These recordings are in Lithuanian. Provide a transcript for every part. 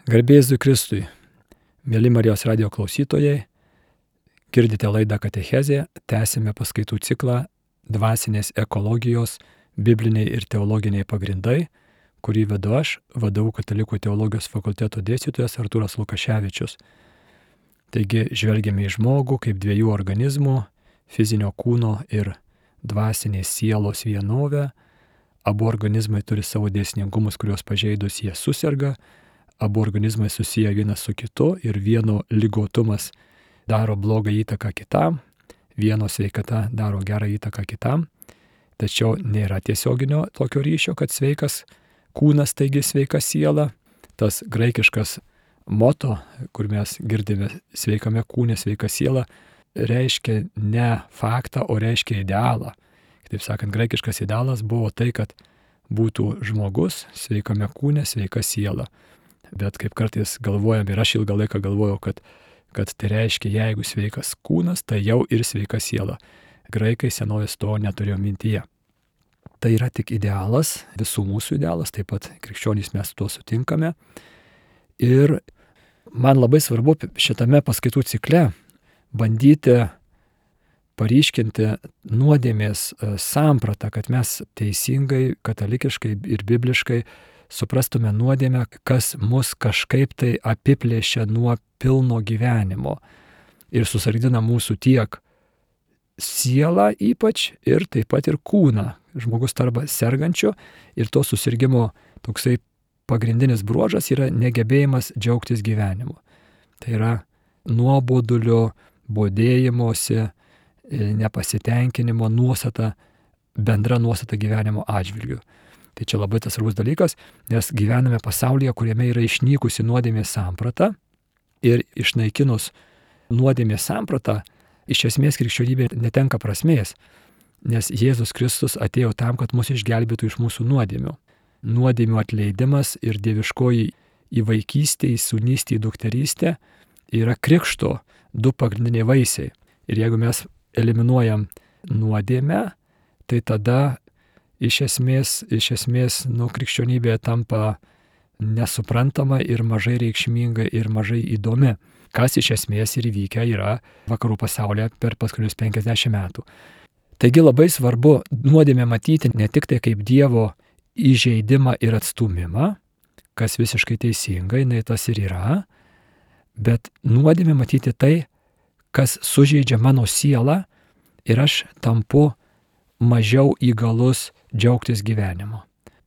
Garbė Jėzui Kristui, mėly Marijos radijo klausytojai, girdite laidą Katechezė, tęsime paskaitų ciklą Dvasinės ekologijos, bibliniai ir teologiniai pagrindai, kurį vedu aš, VDU Katalikų teologijos fakulteto dėstytojas Artūras Lukaševičius. Taigi žvelgiame į žmogų kaip dviejų organizmų, fizinio kūno ir dvasinės sielos vienovę. Abu organizmai turi savo dėsningumus, kuriuos pažeidus jie suserga. Abu organizmai susiję vienas su kitu ir vieno ligotumas daro blogą įtaką kitam, vieno sveikata daro gerą įtaką kitam. Tačiau nėra tiesioginio tokio ryšio, kad sveikas kūnas, taigi sveika siela. Tas graikiškas moto, kur mes girdime sveikame kūne, sveika siela, reiškia ne faktą, o reiškia idealą. Kitaip sakant, graikiškas idealas buvo tai, kad būtų žmogus sveikame kūne, sveika siela. Bet kaip kartais galvojam, ir aš ilgą laiką galvojau, kad tai reiškia, jeigu sveikas kūnas, tai jau ir sveika siela. Graikai senovės to neturėjo mintyje. Tai yra tik idealas, visų mūsų idealas, taip pat krikščionys mes tuo sutinkame. Ir man labai svarbu šitame paskaitų cikle bandyti paryškinti nuodėmės sampratą, kad mes teisingai, katalikiškai ir bibliškai suprastume nuodėmę, kas mus kažkaip tai apiplėšia nuo pilno gyvenimo ir susargdina mūsų tiek sielą ypač ir taip pat ir kūną. Žmogus tarba sergančio ir to susirgimo toksai pagrindinis bruožas yra negebėjimas džiaugtis gyvenimu. Tai yra nuobodulio, bodėjimosi, nepasitenkinimo nuostata, bendra nuostata gyvenimo atžvilgiu. Tai čia labai tas svarbus dalykas, nes gyvename pasaulyje, kuriame yra išnykusi nuodėmės samprata ir išnaikinus nuodėmės sampratą, iš esmės krikščionybė netenka prasmės, nes Jėzus Kristus atėjo tam, kad mus išgelbėtų iš mūsų nuodėmių. Nuodėmių atleidimas ir dieviškoji įvaikystė, sūnystė, dukterystė yra krikšto du pagrindiniai vaisiai. Ir jeigu mes eliminuojam nuodėmę, tai tada iš esmės, krikščionybė tampa nesuprantama ir mažai reikšminga ir mažai įdomi, kas iš esmės ir įvykę yra vakarų pasaulyje per paskutinius 50 metų. Taigi labai svarbu nuodėmę matyti ne tik tai kaip Dievo įžeidimą ir atstūmimą, kas visiškai teisingai, tas ir yra, bet nuodėmę matyti tai, kas sužeidžia mano sielą ir aš tampu mažiau įgalus džiaugtis gyvenimu.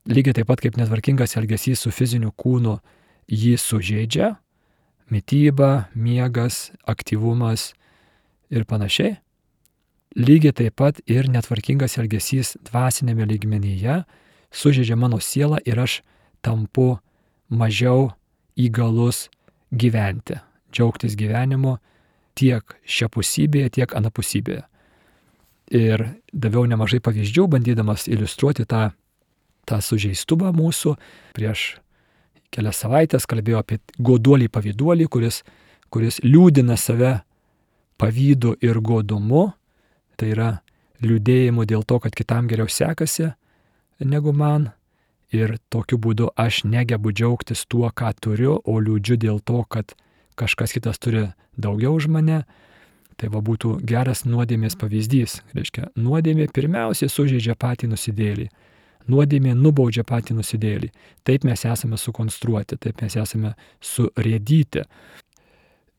Lygiai taip pat kaip netvarkingas elgesys su fiziniu kūnu jį sužeidžia, mityba, miegas, aktyvumas ir panašiai. Lygiai taip pat ir netvarkingas elgesys dvasinėme lygmenyje sužeidžia mano sielą ir aš tampu mažiau įgalus gyventi, džiaugtis gyvenimu tiek šiapusybėje, tiek anapusybėje. Ir daviau nemažai pavyzdžių, bandydamas iliustruoti tą sužeistumą mūsų. Prieš kelias savaitės kalbėjau apie goduolį pavyduolį, kuris liūdina save pavydu ir godumu. Tai yra liūdėjimu dėl to, kad kitam geriau sekasi negu man. Ir tokiu būdu aš negebu džiaugtis tuo, ką turiu, o liūdžiu dėl to, kad kažkas kitas turi daugiau už mane. Tai būtų geras nuodėmės pavyzdys. Reiškia, nuodėmė pirmiausiai sužeidžia patį nusidėjėlį. Nuodėmė nubaudžia patį nusidėjėlį. Taip mes esame sukonstruoti, taip mes esame surėdyti.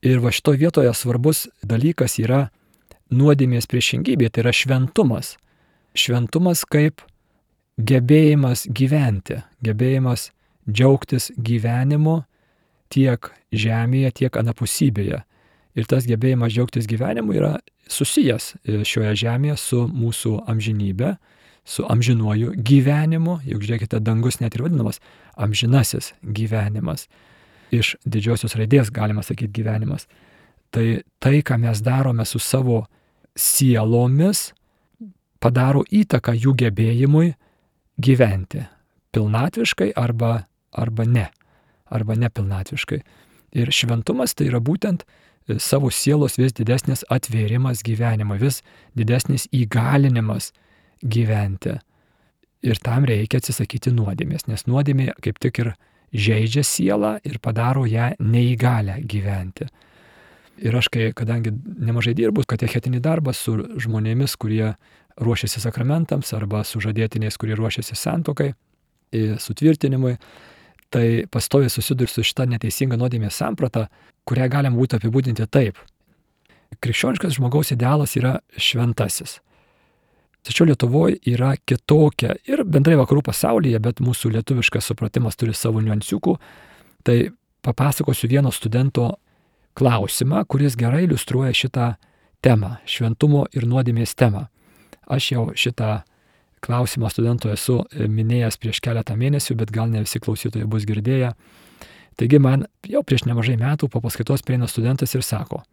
Ir šitoje vietoje svarbus dalykas yra nuodėmės priešingybė, tai yra šventumas. Šventumas kaip gebėjimas gyventi, gebėjimas džiaugtis gyvenimu tiek žemėje, tiek anapusybėje. Ir tas gebėjimas džiaugtis gyvenimu yra susijęs šioje žemėje su mūsų amžinybė, su amžinuoju gyvenimu. Juk žiūrėkite, dangus net ir vadinamas amžinasis gyvenimas. Iš didžiosios raidės galima sakyti gyvenimas. Tai, ką mes darome su savo sielomis, padaro įtaką jų gebėjimui gyventi pilnatviškai arba nepilnatviškai. Ir šventumas tai yra būtent savo sielos vis didesnis atvėrimas gyvenimą, vis didesnis įgalinimas gyventi. Ir tam reikia atsisakyti nuodėmės, nes nuodėmė kaip tik ir žeidžia sielą ir padaro ją neįgalę gyventi. Ir aš, kadangi nemažai dirbu katechetinį darbą su žmonėmis, kurie ruošiasi sakramentams arba su žadėtiniais, kurie ruošiasi santuokai, sutvirtinimui, tai pastoviai susiduriu su šita neteisinga nuodėmės samprata, kurią galima būtų apibūdinti taip. Krikščioniškas žmogaus idealas yra šventasis. Tačiau Lietuvoje yra kitokia ir bendrai vakarų pasaulyje, bet mūsų lietuviškas supratimas turi savo niuansiukų. Tai papasakosiu vieno studento klausimą, kuris gerai iliustruoja šitą temą, šventumo ir nuodėmės temą. Aš jau šitą klausimą studento esu minėjęs prieš keletą mėnesių, bet gal ne visi klausytojai bus girdėję. Taigi man jau prieš nemažai metų po paskaitos prieina studentas ir sako: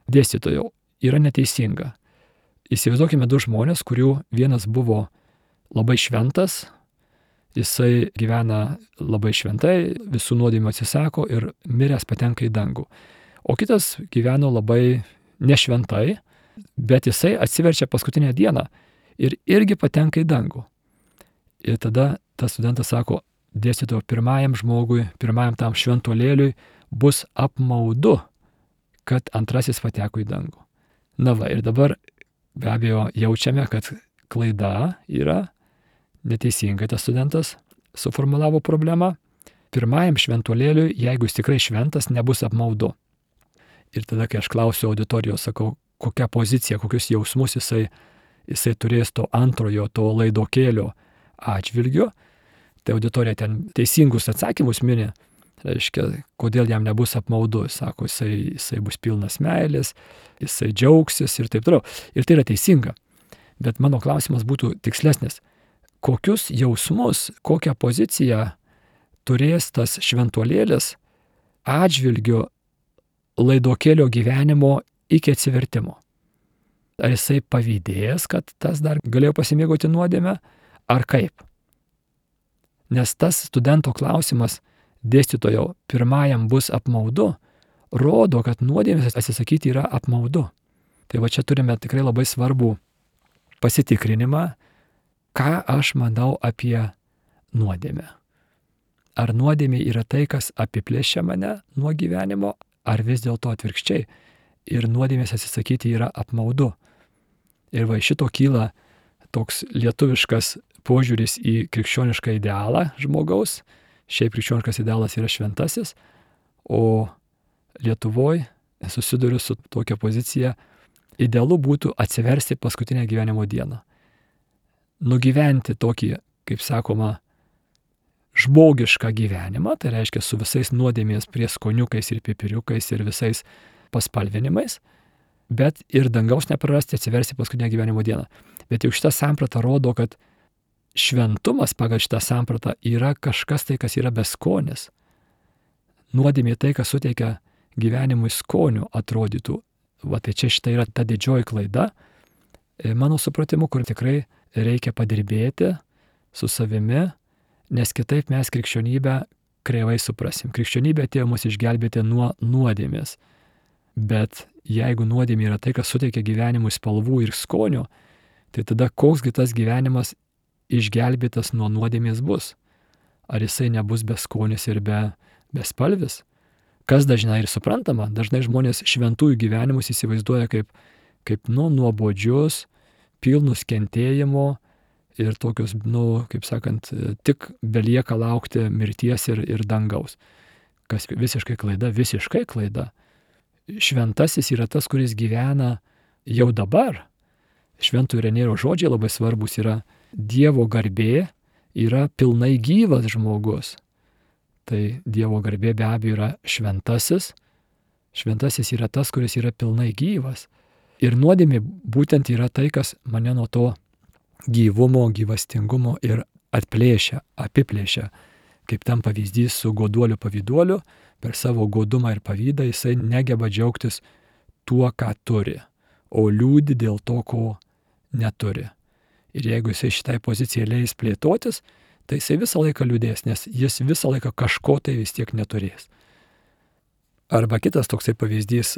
dėstytojau, yra neteisinga. Įsivaizduokime du žmonės, kurių vienas buvo labai šventas, jisai gyvena labai šventai, visų nuodėmių atsisako ir miręs patenka į dangų. O kitas gyveno labai nešventai, bet jisai atsiverčia paskutinę dieną ir irgi patenka į dangų. Ir tada tas studentas sako: dėstytojo, pirmajam žmogui, pirmajam tam šventuolėliui bus apmaudu, kad antrasis pateko į dangų. Na va, ir dabar be abejo jaučiame, kad klaida yra, neteisingai tas studentas suformulavo problemą. Pirmajam šventuolėliui, jeigu jis tikrai šventas, nebus apmaudu. Ir tada, kai aš klausiu auditorijos, sakau, kokią poziciją, kokius jausmus jisai turės to antrojo, to laidokėlio atžvilgiu, tai auditorija ten teisingus atsakymus mini, reiškia, kodėl jam nebus apmaudu. Sako, jisai bus pilnas meilės, jisai džiaugsis ir taip toliau. Ir tai yra teisinga. Bet mano klausimas būtų tikslesnis. Kokius jausmus, kokią poziciją turės tas šventuolėlis atžvilgiu laidokėlio gyvenimo iki atsivertimo? Ar jisai pavydėjęs, kad tas dar galėjo pasimėgauti nuodėmę, ar kaip? Nes tas studento klausimas, dėstytojo, pirmajam bus apmaudu, rodo, kad nuodėmės atsisakyti yra apmaudu. Tai va čia turime tikrai labai svarbų pasitikrinimą, ką aš manau apie nuodėmę. Ar nuodėmė yra tai, kas apiplėšia mane nuo gyvenimo, ar vis dėlto atvirkščiai. Ir nuodėmės atsisakyti yra apmaudu. Ir va šito kyla toks lietuviškas požiūris į krikščionišką idealą žmogaus. Šiaip krikščioniškas idealas yra šventasis, o Lietuvoje susiduriu su tokia pozicija: idealu būtų atsiversti paskutinę gyvenimo dieną. Nugyventi tokį, kaip sakoma, žmogišką gyvenimą, tai reiškia su visais nuodėmės prieskoniukais ir pipiriukais ir visais paspalvinimais, bet ir dangaus neprarasti, atsiversti paskutinę gyvenimo dieną. Bet jau šitą sampratą rodo, kad šventumas pagal šitą sampratą yra kažkas tai, kas yra beskonis. Nuodėmė tai, kas suteikia gyvenimui skonių, atrodytų. Va tai čia šitą yra ta didžioji klaida, mano supratimu, kur tikrai reikia padirbėti su savimi, nes kitaip mes krikščionybę kreivai suprasim. Krikščionybė atėjo mus išgelbėti nuo nuodėmės. Bet jeigu nuodėmė yra tai, kas suteikia gyvenimui spalvų ir skonių, tai tada koksgi tas gyvenimas išgelbėtas nuo nuodėmės bus? Ar jisai nebus beskonis ir bespalvis? Kas dažnai ir suprantama, dažnai žmonės šventųjų gyvenimus įsivaizduoja kaip nuobodžius, pilnus kentėjimo ir tokius, kaip sakant, tik belieka laukti mirties ir dangaus. Kas visiškai klaida. Šventasis yra tas, kuris gyvena jau dabar. Šventojo Irenėjaus žodžiai labai svarbus yra: Dievo garbė yra pilnai gyvas žmogus. Tai Dievo garbė be abejo yra šventasis. Šventasis yra tas, kuris yra pilnai gyvas. Ir nuodėmė būtent yra tai, kas mane nuo to gyvumo, gyvastingumo ir atplėšia, apiplėšia. Kaip tam pavyzdys su goduoliu pavyduoliu, per savo godumą ir pavydą jisai negeba džiaugtis tuo, ką turi, o liūdi dėl to, ko neturi. Ir jeigu jisai šitai pozicijai leis plėtotis, tai jisai visą laiką liūdės, nes jis visą laiką kažko tai vis tiek neturės. Arba kitas toksai pavyzdys,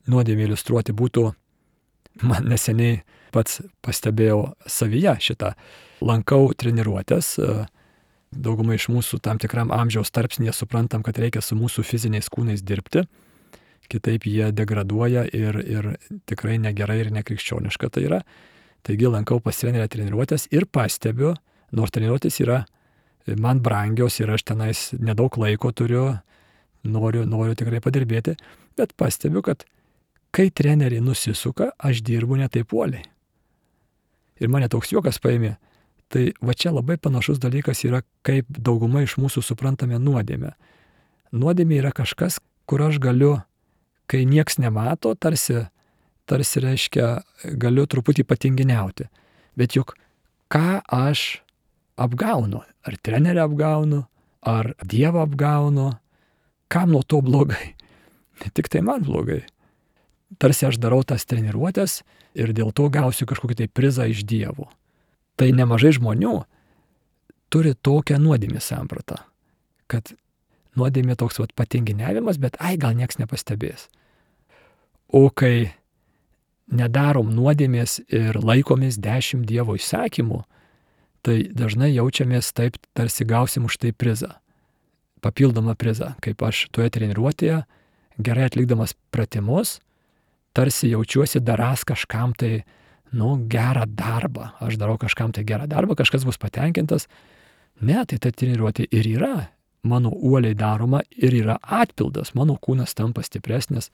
nuodėmė iliustruoti būtų, man neseniai pats pastebėjau savyje šitą, lankau treniruotės, dauguma iš mūsų tam tikram amžiaus tarpsnėje suprantam, kad reikia su mūsų fiziniais kūnais dirbti, kitaip jie degraduoja ir tikrai negerai ir nekrikščioniška tai yra. Taigi lankau pas trenerę treniruotės ir pastebiu, nors treniruotės yra man brangios ir aš tenais nedaug laiko turiu, noriu tikrai padirbėti, bet pastebiu, kad kai treneriai nusisuka, aš dirbu ne taip uoliai. Ir mane toks juokas paėmė. Tai va čia labai panašus dalykas yra, kaip dauguma iš mūsų suprantame nuodėmę. Nuodėmė yra kažkas, kur aš galiu, kai nieks nemato, tarsi reiškia, galiu truputį patinginiauti. Bet juk ką aš apgaunu? Ar trenerį apgaunu, ar Dievą apgaunu? Kam nuo to blogai? Tik tai man blogai. Tarsi aš darau tas treniruotės ir dėl to gausiu kažkokį tai prizą iš Dievo. Tai nemažai žmonių turi tokią nuodėmės sampratą, kad nuodėmė toks patinginiavimas, bet gal nieks nepastebės. O kai nedarom nuodėmės ir laikomės 10 Dievo įsakymų, tai dažnai jaučiamės taip, tarsi gausim už tai prizą. Papildomą prizą, kaip aš toje treniruotėje, gerai atlikdamas pratimus, tarsi jaučiuosi darąs kažkam tai, gerą darbą. Aš darau kažkam tai gerą darbą, kažkas bus patenkintas. Ne, tai ta treniruotė ir yra mano uoliai daroma ir yra atpildas. Mano kūnas tampa stipresnis,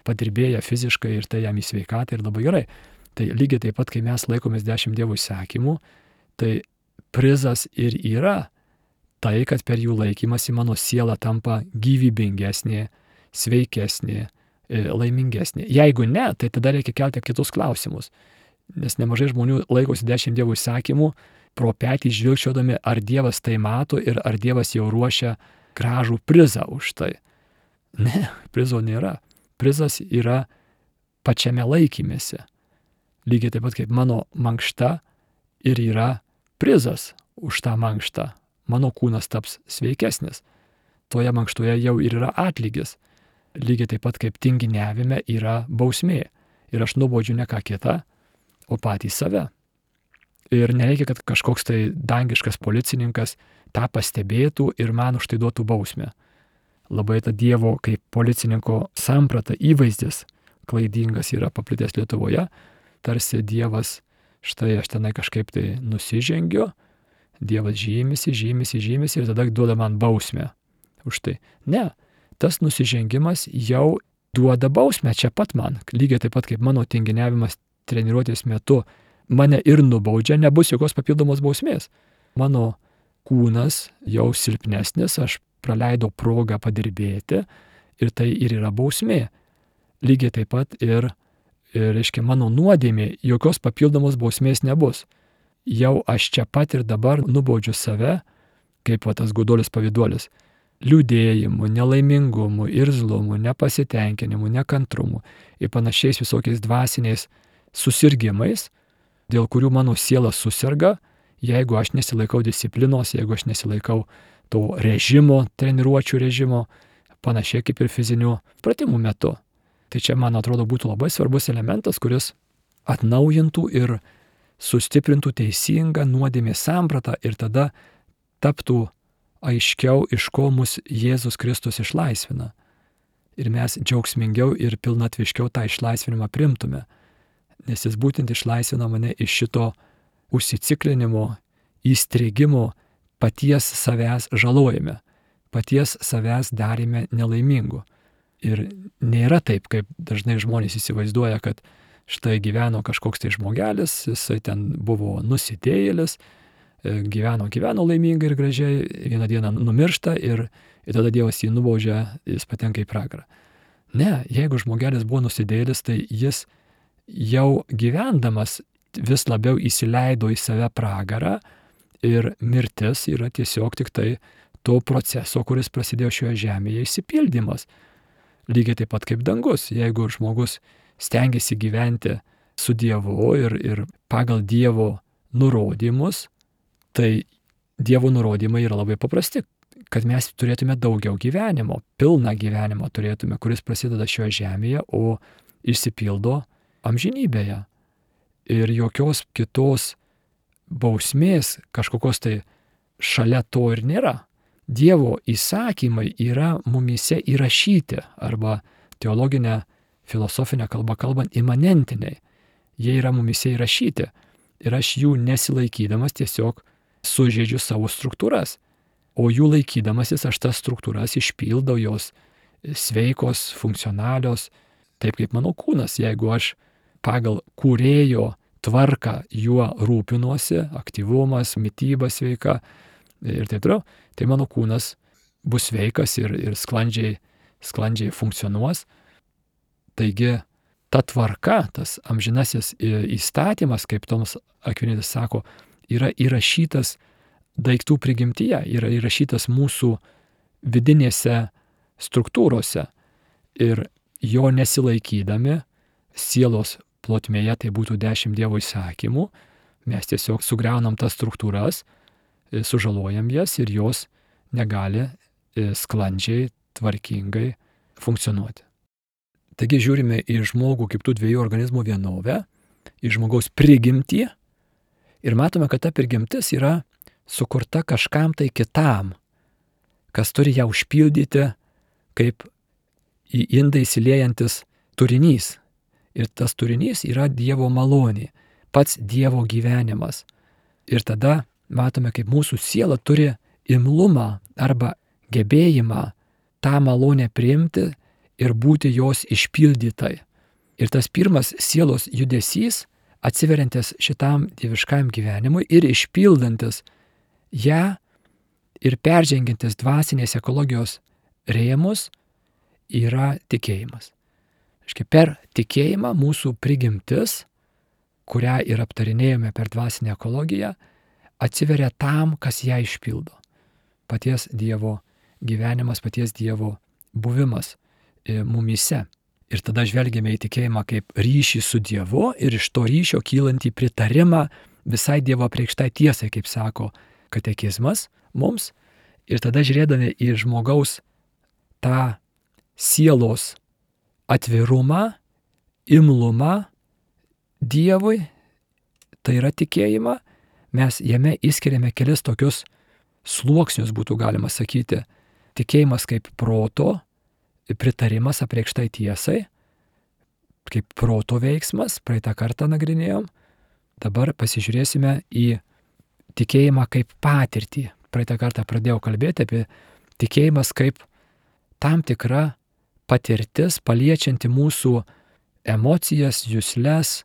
padirbėja fiziškai ir tai jam į sveikatą ir labai gerai. Tai lygiai taip pat, kai mes laikomės 10 Dievo įsakymų, tai prizas ir yra tai, kad per jų laikymasi mano siela tampa gyvybingesnė, sveikesnė, laimingesnė. Jeigu ne, tai tada reikia kelti kitus klausimus. Nes nemažai žmonių laikosi 10 Dievo įsakymų, pro petį žvilgčiodami, ar Dievas tai mato ir ar Dievas jau ruošia gražų prizą už tai. Ne, prizo nėra. Prizas yra pačiame laikymėsi. Lygiai taip pat kaip mano mankšta ir yra prizas už tą mankštą. Mano kūnas taps sveikesnis. Toje mankštoje jau ir yra atlygis. Lygiai taip pat kaip tinginiavime yra bausmė. Ir aš nubaudžiu ne ką kitą, o patį save. Ir nereikia, kad kažkoks tai dangiškas policininkas tą pastebėtų ir man už tai duotų bausmę. Labai ta Dievo kaip policininko samprata, įvaizdis klaidingas yra paplitęs Lietuvoje. Tarsi Dievas, štai aš tenai kažkaip tai nusižengiu, Dievas žymisi ir tada duoda man bausmę už tai. Ne, tas nusižengimas jau duoda bausmę čia pat man. Lygiai taip pat kaip mano tinginiavimas treniruotės metu mane ir nubaudžia, nebus jokios papildomos bausmės. Mano kūnas jau silpnesnis, aš praleidau progą padirbėti ir tai ir yra bausmė. Lygiai taip pat ir reiškia, mano nuodėmė, jokios papildomos bausmės nebus. Jau aš čia pat ir dabar nubaudžiu save, kaip tas goduolis pavyduolis, liūdėjimu, nelaimingumu, irzlumu, nepasitenkinimu, nekantrumu ir panašiais visokiais dvasiniais susirgimais, dėl kurių mano siela susirga, jeigu aš nesilaikau disciplinos, jeigu aš nesilaikau to režimo, treniruočių režimo, panašiai kaip ir fizinių pratimų metu. Tai čia, man atrodo, būtų labai svarbus elementas, kuris atnaujintų ir sustiprintų teisingą nuodėmės sampratą ir tada taptų aiškiau, iš ko mus Jėzus Kristus išlaisvina. Ir mes džiaugsmingiau ir pilnatviškiau tą išlaisvinimą priimtume. Nes jis būtent išlaisvina mane iš šito užsiciklinimo, įstrigimo, paties savęs žalojime, paties savęs darime nelaimingu. Ir nėra taip, kaip dažnai žmonės įsivaizduoja, kad štai gyveno kažkoks tai žmogelis, jisai ten buvo nusidėjėlis, gyveno laimingai ir gražiai, vieną dieną numiršta ir tada Dievas jį nubaudžia, jis patenka į pragarą. Ne, jeigu žmogelis buvo nusidėjėlis, tai jis jau gyvendamas vis labiau įsileido į save pragarą ir mirtis yra tiesiog tik tai to proceso, kuris prasidėjo šioje žemėje, išsipildymas. Lygiai taip pat kaip dangus. Jeigu žmogus stengiasi gyventi su Dievu ir pagal Dievo nurodymus, tai Dievo nurodymai yra labai paprasti, kad mes turėtume daugiau gyvenimo, pilną gyvenimą turėtume, kuris prasideda šioje žemėje, o išsipildo amžinybėje. Ir jokios kitos bausmės, kažkokios tai šalia to ir nėra. Dievo įsakymai yra mumyse įrašyti arba teologinę, filosofinę kalbą kalbant imanentiniai. Jie yra mumyse įrašyti ir aš jų nesilaikydamas tiesiog sužeidžiu savo struktūras. O jų laikydamasis aš tas struktūras išpildau, jos sveikos, funkcionalios, taip kaip mano kūnas. Jeigu aš pagal kūrėjo tvarką juo rūpinuosi, aktyvumas, mityba sveika ir taip toliau, tai mano kūnas bus sveikas ir sklandžiai funkcionuos. Taigi ta tvarka, tas amžinasis įstatymas, kaip Tomas Akvinitis sako, yra įrašytas daiktų prigimtyje, yra įrašytas mūsų vidinėse struktūrose. Ir jo nesilaikydami sielos plotmėje, tai būtų 10 Dievo įsakymų, mes tiesiog sugriaunam tas struktūras, sužalojam jas ir jos negali sklandžiai, tvarkingai funkcionuoti. Taigi žiūrime į žmogų kaip tų dviejų organizmų vienovę, į žmogaus prigimtį ir matome, kad ta prigimtis yra sukurta kažkam tai kitam, kas turi ją užpildyti kaip į indą įsiliejantis turinys. Ir tas turinys yra Dievo malonė, pats Dievo gyvenimas. Ir tada matome, kaip mūsų siela turi imlumą arba gebėjimą tą malonę priimti ir būti jos išpildytai. Ir tas pirmas sielos judesys, atsiveriantis šitam dieviškam gyvenimui ir išpildantis ją ir peržengiantis dvasinės ekologijos rėmus, yra tikėjimas. Per tikėjimą mūsų prigimtis, kurią ir aptarinėjome per dvasinę ekologiją, atsiveria tam, kas ją išpildo. Paties Dievo gyvenimas, paties Dievo buvimas mumyse. Ir tada žvelgiame į tikėjimą kaip ryšį su Dievu ir iš to ryšio kylantį pritarimą visai Dievo apreikštai tiesai, kaip sako katekizmas mums. Ir tada žiūrėdami į žmogaus tą sielos atvirumą, imlumą Dievui, tai yra tikėjimą, mes jame įskiriame kelis tokius sluoksnius, būtų galima sakyti. Tikėjimas kaip proto pritarimas apreikštai tiesai, kaip proto veiksmas, praeitą kartą nagrinėjom. Dabar pasižiūrėsime į tikėjimą kaip patirtį. Praeitą kartą pradėjau kalbėti apie tikėjimas kaip tam tikra patirtis, paliečianti mūsų emocijas, jusles,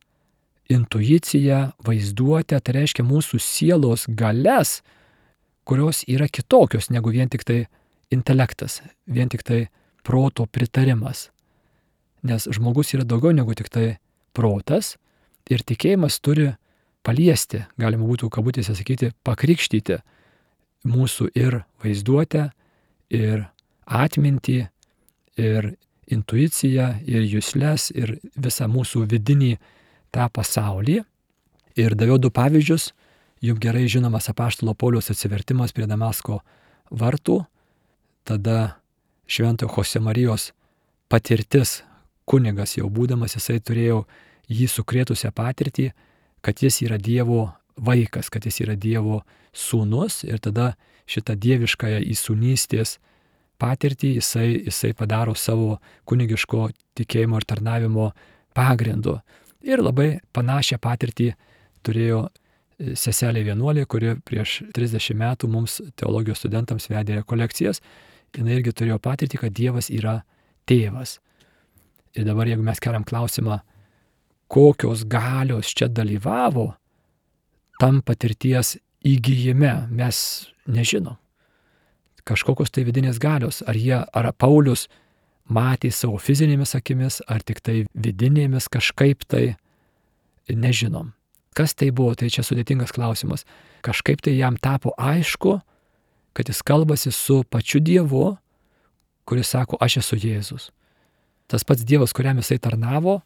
intuiciją, vaizduotę, tai reiškia mūsų sielos galias, kurios yra kitokios negu vien tik tai intelektas, vien tik tai proto pritarimas. Nes žmogus yra daugiau negu tik tai protas ir tikėjimas turi paliesti, galima būtų kabutėse sakyti, pakrikštyti mūsų ir vaizduotę, ir atmintį, ir intuiciją, ir jusles, ir visą mūsų vidinį tą pasaulį. Ir daviau 2 pavyzdžius, jums gerai žinomas apaštalo Pauliaus atsivertimas prie Damasko vartų, tada Šventojo Chosemarijos patirtis, kunigas jau būdamas, jisai turėjo jį sukrėtusią patirtį, kad jis yra Dievo vaikas, kad jis yra Dievo sūnus ir tada šitą dieviškąją įsūnystės patirtį jisai padaro savo kunigiško tikėjimo ir tarnavimo pagrindu. Ir labai panašią patirtį turėjo seselė vienuolė, kuri prieš 30 metų mums teologijos studentams vedė rekolekcijas. Jis irgi turėjo patirtį, kad Dievas yra tėvas. Ir dabar jeigu mes keliam klausimą, kokios galios čia dalyvavo tam patirties įgyjime, mes nežinom. Kažkokios tai vidinės galios, ar Paulius matė savo fizinėmis akimis, ar tik tai vidinėmis kažkaip tai, nežinom. Kas tai buvo, tai čia sudėtingas klausimas. Kažkaip tai jam tapo aišku, kad jis kalbasi su pačiu Dievu, kuris sako, aš esu Jėzus. Tas pats Dievas, kuriam jisai tarnavo,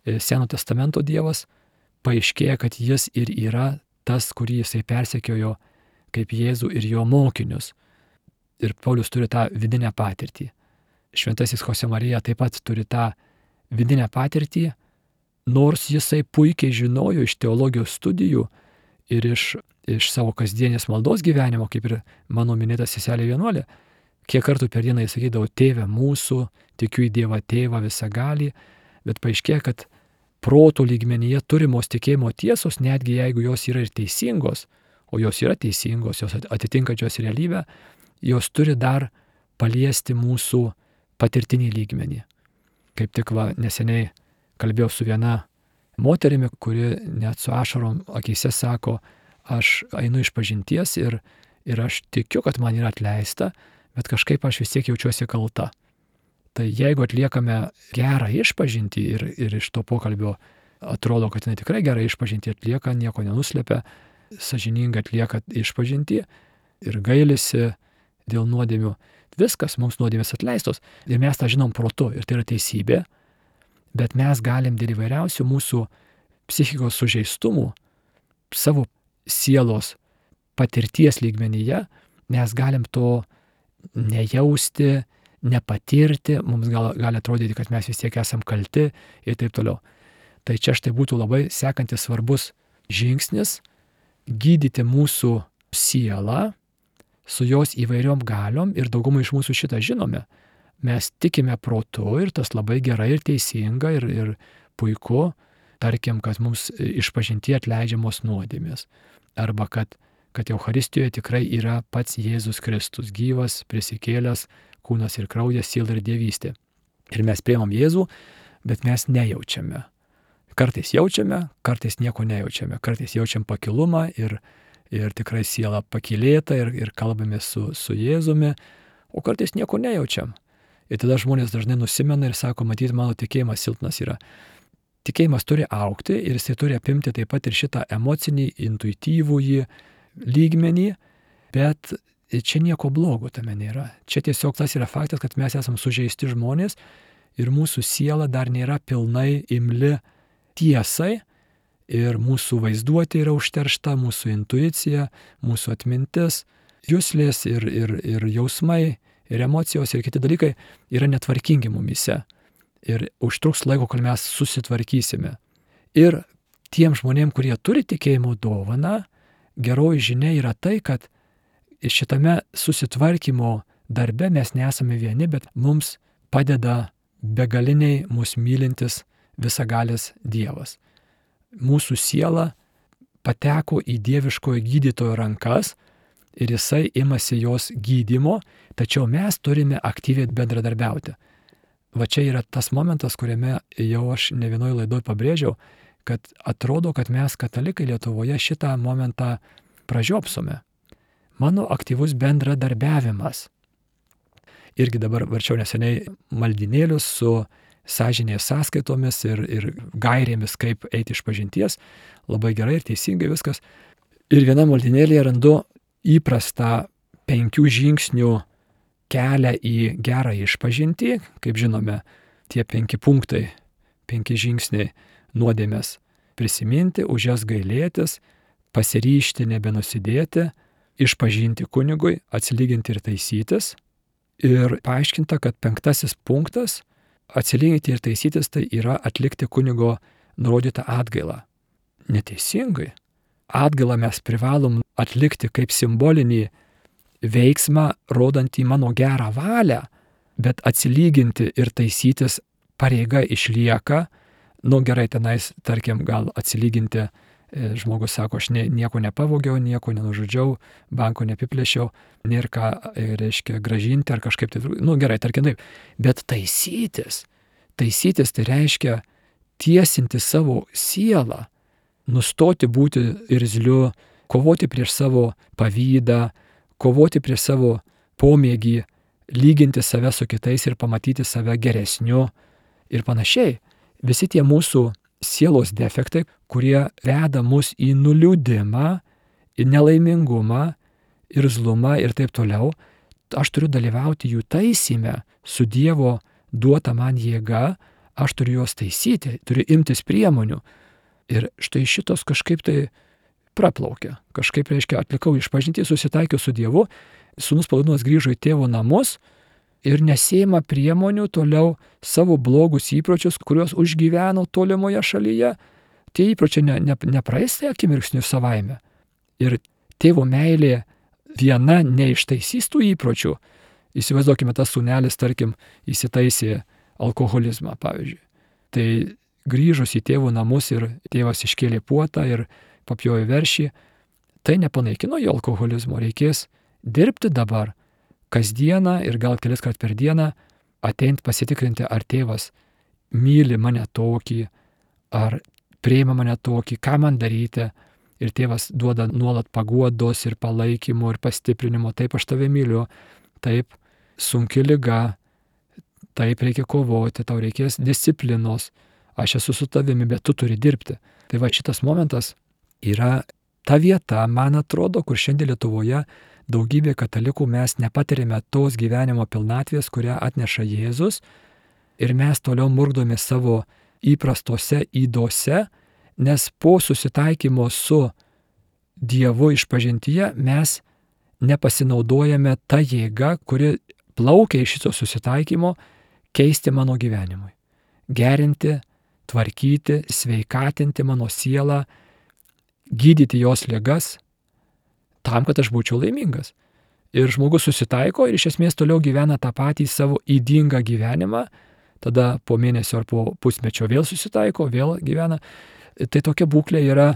Seno testamento Dievas, paaiškėja, kad jis ir yra tas, kurį jisai persekiojo kaip Jėzų ir jo mokinius. Ir Paulius turi tą vidinę patirtį. Šventasis Chosemarija taip pat turi tą vidinę patirtį, nors jisai puikiai žinojo iš teologijos studijų ir iš savo kasdienės maldos gyvenimo, kaip ir mano minėta seselė vienuolė, kiek kartų per dieną jis sakydavo, Tėve mūsų, tikiu į Dievą Tėvą visagalį, bet paaiškėja, kad proto lygmenyje turimos tikėjimo tiesos, netgi jeigu jos yra ir teisingos, o jos yra teisingos, jos atitinkančios realybę, jos turi dar paliesti mūsų patirtinį lygmenį. Kaip tik neseniai kalbėjau su viena moterimi, kuri net su ašarom akyse sako, aš einu iš pažinties ir aš tikiu, kad man yra atleista, bet kažkaip aš vis tiek jaučiuosi kalta. Tai jeigu atliekame gerą išpažintį ir iš to pokalbio atrodo, kad jinai tikrai gerą išpažintį atlieka, nieko nenuslepia, sąžiningai atlieka išpažintį ir gailisi dėl nuodėmių, viskas, mums nuodėmės atleistos ir mes tą žinom protu ir tai yra teisybė, bet mes galim dėl įvairiausių mūsų psichikos sužeistumų, savo sielos patirties lygmenyje, mes galim to nejausti, nepatirti, mums gali atrodyti, kad mes vis tiek esam kalti ir taip toliau. Tai čia štai būtų labai sekantis svarbus žingsnis gydyti mūsų sielą su jos įvairiom galiom ir daugumai iš mūsų šitą žinome. Mes tikime protu ir tas labai gerai ir teisinga ir puiku, tarkim, kad mums išpažintyje atleidžiamos nuodėmės. Arba kad Eucharistijoje tikrai yra pats Jėzus Kristus, gyvas, prisikėlęs, kūnas ir kraujas, siela ir dievystė. Ir mes priimam Jėzų, bet mes nejaučiame. Kartais jaučiame, kartais nieko nejaučiame. Kartais jaučiam pakilumą ir tikrai siela pakylėta ir kalbame su Jėzumi, o kartais nieko nejaučiam. Ir tada žmonės dažnai nusimena ir sako, matyt, mano tikėjimas silpnas yra. Tikėjimas turi augti ir jisai turi apimti taip pat ir šitą emocinį, intuityvųjį lygmenį, bet čia nieko blogo tame nėra. Čia tiesiog tas yra faktas, kad mes esam sužeisti žmonės ir mūsų siela dar nėra pilnai imli tiesai ir mūsų vaizduotė yra užteršta, mūsų intuicija, mūsų atmintis, juslės ir jausmai ir emocijos ir kiti dalykai yra netvarkingi mumyse. Ir užtruks laiko, kol mes susitvarkysime. Ir tiem žmonėm, kurie turi tikėjimo dovaną, geroji žinia yra tai, kad šitame susitvarkymo darbe mes nesame vieni, bet mums padeda begaliniai mus mylintis visagalis Dievas. Mūsų siela pateko į dieviškojo gydytojo rankas ir jisai imasi jos gydymo, tačiau mes turime aktyviai bendradarbiauti. Va čia yra tas momentas, kuriame jau aš ne vienoje laidoje pabrėžiau, kad atrodo, kad mes katalikai Lietuvoje šitą momentą pražiopsome. Mano aktyvus bendradarbiavimas. Irgi dabar varčiau neseniai maldinėlius su sąžinės sąskaitomis ir gairėmis, kaip eiti iš pažinties. Labai gerai ir teisingai viskas. Ir viena maldinėlėje randu įprastą 5 žingsnių kelią į gerą išpažintį. Kaip žinome, tie 5 punktai, 5 žingsniai nuodėmės prisiminti, už jas gailėtis, pasiryžti nebenusidėti, išpažinti kunigui, atsilyginti ir taisytis. Ir paaiškinta, kad 5 punktas atsilyginti ir taisytis tai yra atlikti kunigo nurodytą atgailą. Neteisingai. Atgailą mes privalom atlikti kaip simbolinį veiksmą, rodantį mano gerą valią, bet atsilyginti ir taisytis pareiga išlieka. Gerai, tenais, tarkim, gal atsilyginti, žmogus sako, aš nieko nepavogiau, nieko nenužudžiau, banko neapiplėšiau, nėra ką, reiškia, gražinti ar kažkaip tai, gerai, tarkim taip, bet taisytis tai reiškia tiesinti savo sielą, nustoti būti irzliu, kovoti prieš savo pavydą, kovoti prieš savo pomėgį, lyginti save su kitais ir pamatyti save geresniu ir panašiai. Visi tie mūsų sielos defektai, kurie veda mus į nuliūdimą, į nelaimingumą, irzlumą ir taip toliau, aš turiu dalyvauti jų taisyme su Dievo duota man jėga, aš turiu juos taisyti, turiu imtis priemonių. Ir štai šitos kažkaip tai praplaukė. Kažkaip, reiškia, atlikau išpažintį, susitaikiau su Dievu, sūnus Palaidonas grįžo į tėvo namus ir nesėma priemonių toliau savo blogus įpročius, kuriuos užgyveno tolimoje šalyje. Tie įpročiai nepraeis tai akimirksniu savaime. Ir tėvo meilė viena neištaisys tų įpročių. Įsivaizduokime, tas sūnelis, tarkim, įsitaisė alkoholizmą, pavyzdžiui. Tai grįžus į tėvų namus ir tėvas iškėlė puotą ir papjojo veršį, tai nepanaikino jo alkoholizmo. Reikės dirbti dabar, kasdieną ir gal kelis kart per dieną, ateint pasitikrinti, ar tėvas myli mane tokį, ar priima mane tokį, ką man daryti. Ir tėvas duoda nuolat paguodos ir palaikymo ir pastiprinimo. Taip, aš tave myliu, taip, sunki liga, taip, reikia kovoti, tau reikės disciplinos, aš esu su tavimi, bet tu turi dirbti. Tai va, šitas momentas yra ta vieta, man atrodo, kur šiandien Lietuvoje daugybė katalikų mes nepatirime tos gyvenimo pilnatvės, kurią atneša Jėzus, ir mes toliau murkdome savo įprastose ydose, nes po susitaikymo su Dievu išpažintyje mes nepasinaudojame tą jėgą, kuri plaukia iš šito susitaikymo, keisti mano gyvenimui. Gerinti, tvarkyti, sveikatinti mano sielą, gydyti jos ligas, tam, kad aš būčiau laimingas. Ir žmogus susitaiko ir iš esmės toliau gyvena tą patį savo ydingą gyvenimą, tada po mėnesio ar po pusmečio vėl susitaiko, vėl gyvena. Tai tokia būklė yra,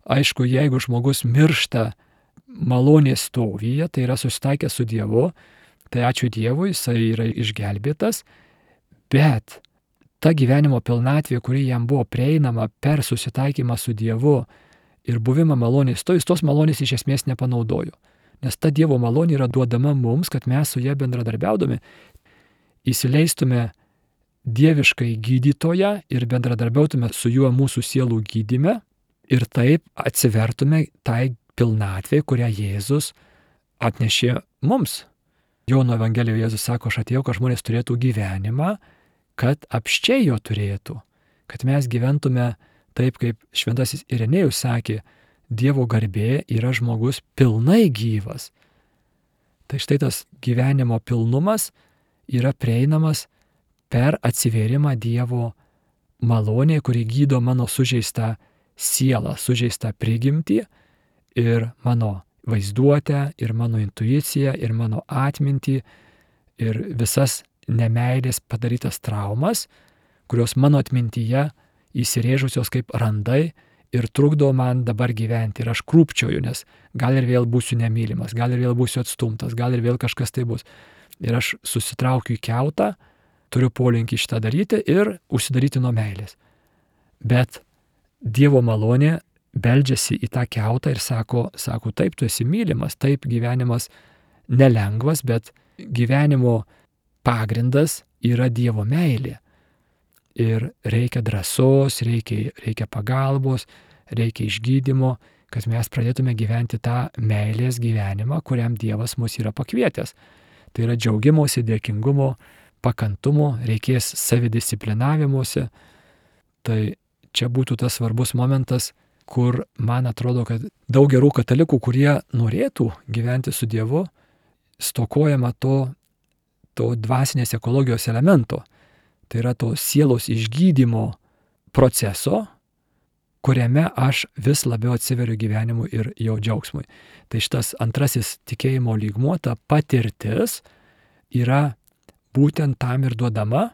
aišku, jeigu žmogus miršta malonės stovyje, tai yra susitaikęs su Dievu, tai ačiū Dievui, jisai yra išgelbėtas, bet ta gyvenimo pilnatvė, kuri jam buvo prieinama per susitaikymą su Dievu ir buvimą malonės stovyje, tos malonės iš esmės nepanaudojo. Nes ta Dievo malonė yra duodama mums, kad mes su ja bendradarbiaudami įsileistume dieviškai gydytoją ir bendradarbiautume su juo mūsų sielų gydyme ir taip atsivertume tai pilnatvė, kurią Jėzus atnešė mums. Jono Evangelijoje Jėzus sako, aš atėjau, kad žmonės turėtų gyvenimą, kad apsčiai jo turėtų, kad mes gyventume taip, kaip šventasis Irenėjus sakė, Dievo garbė yra žmogus pilnai gyvas. Tai štai tas gyvenimo pilnumas yra prieinamas per atsivėrimą Dievo malonė, kuri gydo mano sužeistą sielą, sužeistą prigimtį ir mano vaizduotę, ir mano intuiciją, ir mano atmintį, ir visas nemeilės padarytas traumas, kurios mano atmintyje įsirėžusios kaip randai ir trukdo man dabar gyventi. Ir aš krūpčioju, nes gal ir vėl būsiu nemylimas, gal ir vėl būsiu atstumtas, gal ir vėl kažkas tai bus. Ir aš susitraukiu į kiautą, turiu polinkį šitą daryti ir užsidaryti nuo meilės. Bet Dievo malonė beldžiasi į tą kiautą ir sako, taip, tu esi mylimas, taip, gyvenimas nelengvas, bet gyvenimo pagrindas yra Dievo meilė. Ir reikia drąsos, reikia pagalbos, reikia išgydymo, kad mes pradėtume gyventi tą meilės gyvenimą, kuriam Dievas mus yra pakvietęs. Tai yra džiaugimuose, dėkingumo, pakantumo, reikės savidisciplinavimuose. Tai čia būtų tas svarbus momentas, kur man atrodo, kad daug gerų katalikų, kurie norėtų gyventi su Dievu, stokojama to dvasinės ekologijos elemento. Tai yra to sielos išgydymo proceso, kuriame aš vis labiau atsiveriu gyvenimui ir jo džiaugsmui. Tai šitas antrasis tikėjimo lygmuo, ta patirtis, yra būtent tam ir duodama.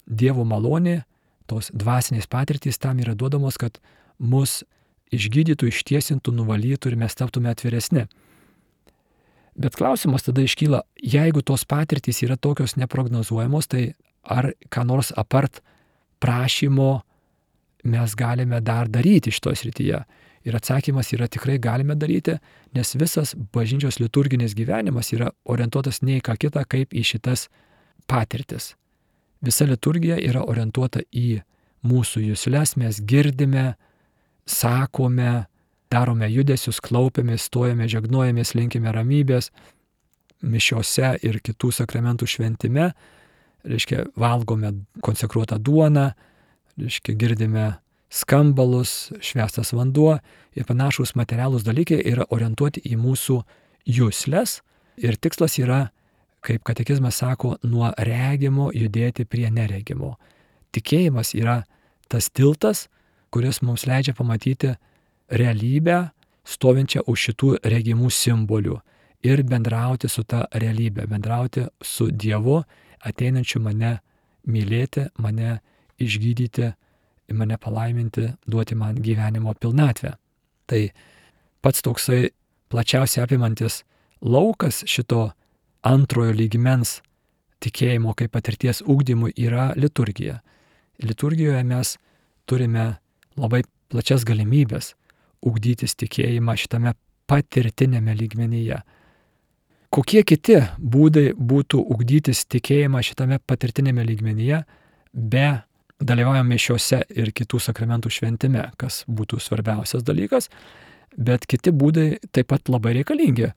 Dievo malonė, tos dvasinės patirtys tam yra duodamos, kad mus išgydytų, ištiesintų, nuvalytų ir mes taptume atviresni. Bet klausimas tada iškyla, jeigu tos patirtys yra tokios neprognozuojamos, tai ar ką nors apart prašymo mes galime dar daryti šitoje srityje? Ir atsakymas yra tikrai galime daryti, nes visas bažnyčios liturginis gyvenimas yra orientuotas ne į ką kitą, kaip į šitas patirtis. Visa liturgija yra orientuota į mūsų jusles, mes girdime, sakome, darome judesius, klaupiamės, stojame, žegnojamės, linkime ramybės, mišiose ir kitų sakramentų šventime, reiškia, valgome konsekruotą duoną, reiškia, girdime skambalus, švęstas vanduo ir panašūs materialūs dalykai yra orientuoti į mūsų jusles ir tikslas yra, kaip katekizmas sako, nuo regimo judėti prie neregimo. Tikėjimas yra tas tiltas, kuris mums leidžia pamatyti realybę stovinčią už šitų regimų simbolių ir bendrauti su ta realybė, bendrauti su Dievu, ateinančiu mane mylėti, mane išgydyti, mane palaiminti, duoti man gyvenimo pilnatvę. Tai pats toksai plačiausiai apimantis laukas šito antrojo lygmens tikėjimo kaip patirties ugdymui yra liturgija. Liturgijoje mes turime labai plačias galimybės ugdytis tikėjimą šitame patirtinėme lygmenyje. Kokie kiti būdai būtų ugdytis tikėjimą šitame patirtinėme lygmenyje be dalyvaujame mišiose ir kitų sakramentų šventime, kas būtų svarbiausias dalykas, bet kiti būdai taip pat labai reikalingi.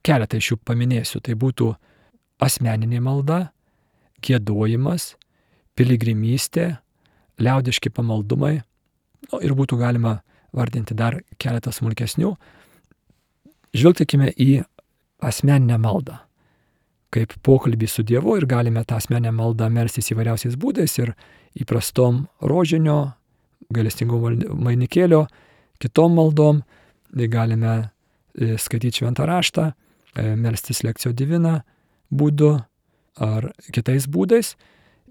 Keletą iš jų paminėsiu. Tai būtų asmeninė malda, giedojimas, piligrimystė, liaudiški pamaldumai, ir būtų galima vardinti dar keletą smulkesnių. Žvelgtikime į asmeninę maldą, kaip pokalbį su Dievu, ir galime tą asmeninę maldą melstis įvairiausiais būdais ir įprastom rožinio, gailestingumo vainikėlio, kitom maldom, galime skaityti šventą raštą, melstis lekcijo divina būdu ar kitais būdais.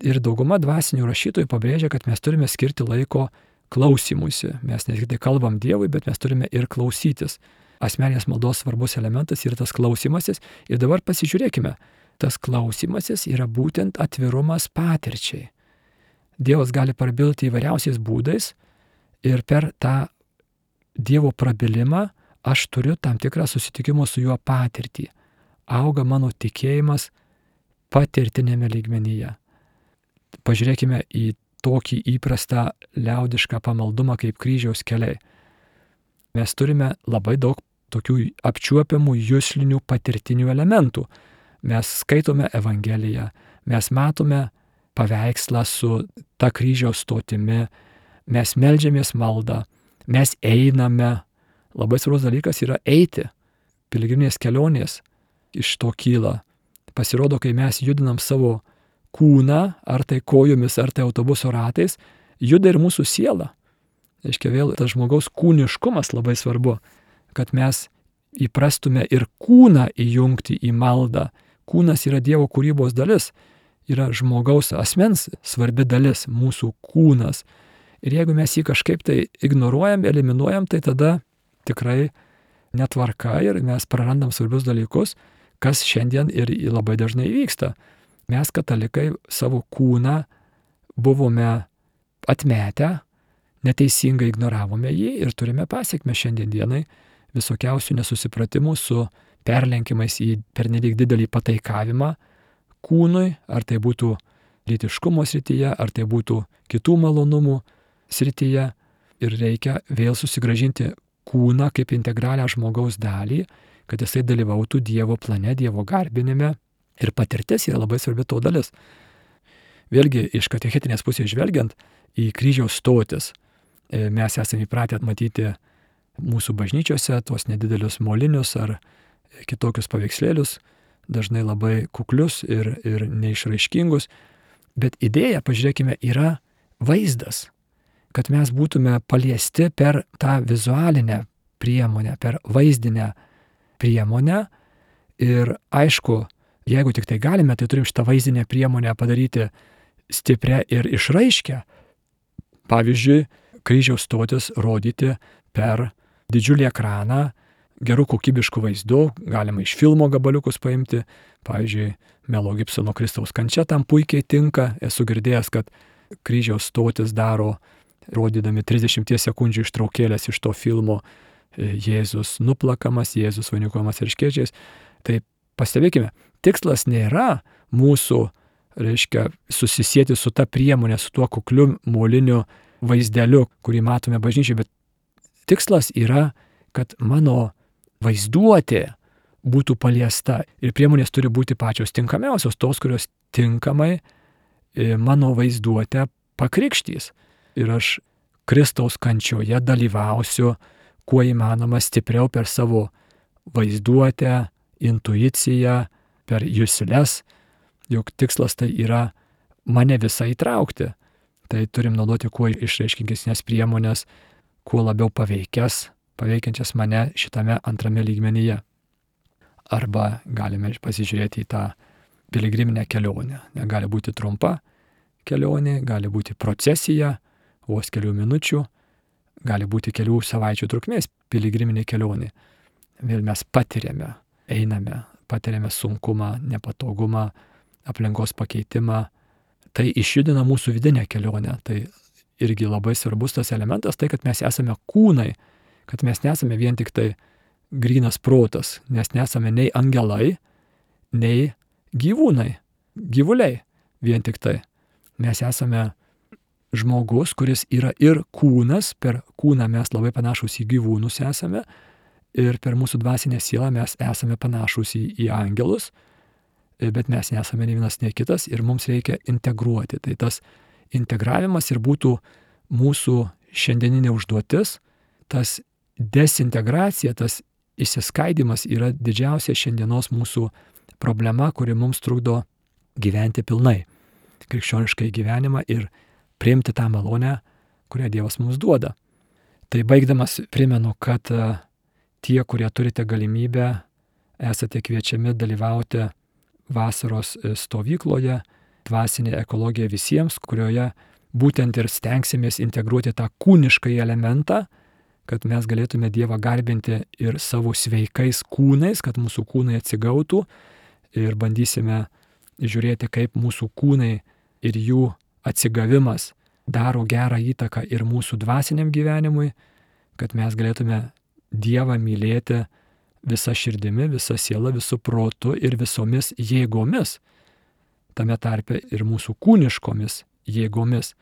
Ir dauguma dvasinių rašytojų pabrėžia, kad mes turime skirti laiko klausymuisi. Mes ne tik tai kalbam Dievui, bet mes turime ir klausytis. Asmeninės maldos svarbus elementas yra tas klausymasis. Ir dabar pasižiūrėkime, tas klausymasis yra būtent atvirumas patirčiai. Dievas gali prabilti įvairiausiais būdais ir per tą Dievo prabilimą aš turiu tam tikrą susitikimo su juo patirtį. Auga mano tikėjimas patirtinėme lygmenyje. Pažiūrėkime į tokį įprastą liaudišką pamaldumą kaip kryžiaus keliai. Mes turime labai daug tokių apčiuopiamų juslinių patirtinių elementų. Mes skaitome Evangeliją, mes matome paveikslą su ta kryžiaus stotimi, mes meldžiamės maldą, mes einame. Labai svarbus dalykas yra eiti. Piligriminės kelionės iš to kyla. Pasirodo, kai mes judinam savo kūną, ar tai kojomis, ar tai autobuso ratais, juda ir mūsų siela. Reiškia, vėl tas žmogaus kūniškumas labai svarbu, kad mes įprastume ir kūną įjungti į maldą. Kūnas yra Dievo kūrybos dalis, yra žmogaus asmens svarbi dalis, mūsų kūnas. Ir jeigu mes jį kažkaip tai ignoruojam, eliminuojam, tai tada tikrai netvarka ir mes prarandam svarbius dalykus, kas šiandien ir labai dažnai vyksta. Mes katalikai savo kūną buvome atmetę, neteisingai ignoravome jį ir turime pasekmę šiandien dienai visokiausių nesusipratimų su perlenkimais į pernelyg didelį pataikavimą kūnui, ar tai būtų lytiškumo srityje, ar tai būtų kitų malonumų srityje. Ir reikia vėl susigrąžinti kūną kaip integralią žmogaus dalį, kad jisai dalyvautų Dievo plane, Dievo garbinime. Ir patirtis yra labai svarbi to dalis. Vėlgi, iš katechetinės pusės žvelgiant į kryžiaus stotis, mes esame įpratę matyti mūsų bažnyčiose tos nedidelius molinius ar kitokius paveikslėlius, dažnai labai kuklius ir neišraiškingus. Bet idėja, pažiūrėkime, yra vaizdas, kad mes būtume paliesti per tą vizualinę priemonę, per vaizdinę priemonę. Ir aišku, jeigu tik tai galime, tai turim šitą vaizdinę priemonę padaryti stiprią ir išraiškę. Pavyzdžiui, kryžiaus stotis rodyti per didžiulį ekraną, gerų kokybiškų vaizdų, galima iš filmo gabaliukus paimti. Pavyzdžiui, Melo Gibsono Kristaus kančia tam puikiai tinka. Esu girdėjęs, kad kryžiaus stotis daro, rodydami 30 sekundžių ištraukėlės iš to filmo, Jėzus nuplakamas, Jėzus vainikuojamas erškėčiais. Tai pastebėkime, tikslas nėra mūsų, reiškia, susisieti su ta priemonė, su tuo kukliu moliniu vaizdeliu, kurį matome bažnyčiai, bet tikslas yra, kad mano vaizduotė būtų paliesta ir priemonės turi būti pačios tinkamiausios, tos, kurios tinkamai mano vaizduotę pakrikštys. Ir aš Kristaus kančioje dalyvausiu kuo įmanoma stipriau per savo vaizduotę, intuiciją, per jusles, juk tikslas tai yra mane visą įtraukti. Tai turim naudoti kuo išreiškingesnės priemonės, kuo labiau paveikias paveikiančias mane šitame antrame lygmenyje. Arba galime pasižiūrėti į tą piligriminę kelionę. Gali būti trumpa kelionė, gali būti procesija, vos kelių minučių, gali būti kelių savaičių trukmės piligriminė kelionė. Vėl mes patiriame, einame, patiriame sunkumą, nepatogumą, aplinkos pakeitimą. Tai išjudina mūsų vidinę kelionę. Tai irgi labai svarbus tas elementas, tai kad mes esame kūnai, kad mes nesame vien tik tai grynas protas, nes nesame nei angelai, nei gyvūnai, gyvuliai vien tik tai. Mes esame žmogus, kuris yra ir kūnas, per kūną mes labai panašus į gyvūnus esame ir per mūsų dvasinę sielą mes esame panašus į angelus, bet mes nesame nei vienas, nei kitas ir mums reikia integruoti. Tai tas integravimas ir būtų mūsų šiandieninė užduotis, tas desintegracija, tas išsiskaidimas yra didžiausia šiandienos mūsų problema, kuri mums trukdo gyventi pilnai krikščioniškai gyvenimą ir priimti tą malonę, kurią Dievas mums duoda. Tai baigdamas primenu, kad tie, kurie turite galimybę, esate kviečiami dalyvauti vasaros stovykloje Dvasinė ekologija visiems, kurioje būtent ir stengsimės integruoti tą kūnišką elementą, kad mes galėtume Dievą garbinti ir savo sveikais kūnais, kad mūsų kūnai atsigautų ir bandysime žiūrėti, kaip mūsų kūnai ir jų atsigavimas daro gerą įtaką ir mūsų dvasiniam gyvenimui, kad mes galėtume Dievą mylėti visa širdimi, visa siela, visų protu ir visomis jėgomis, tame tarpe ir mūsų kūniškomis jėgomis.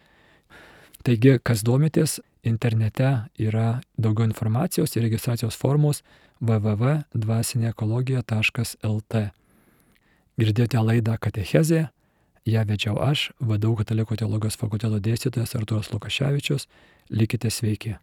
Taigi, kas domitės, internete yra daugiau informacijos ir registracijos formos www.dvasineekologija.lt. Girdėjote laidą Katechezė, ją vedžiau aš, VDU Katalikų teologijos fakulteto dėstytojas Artūras Lukaševičius. Likite sveiki.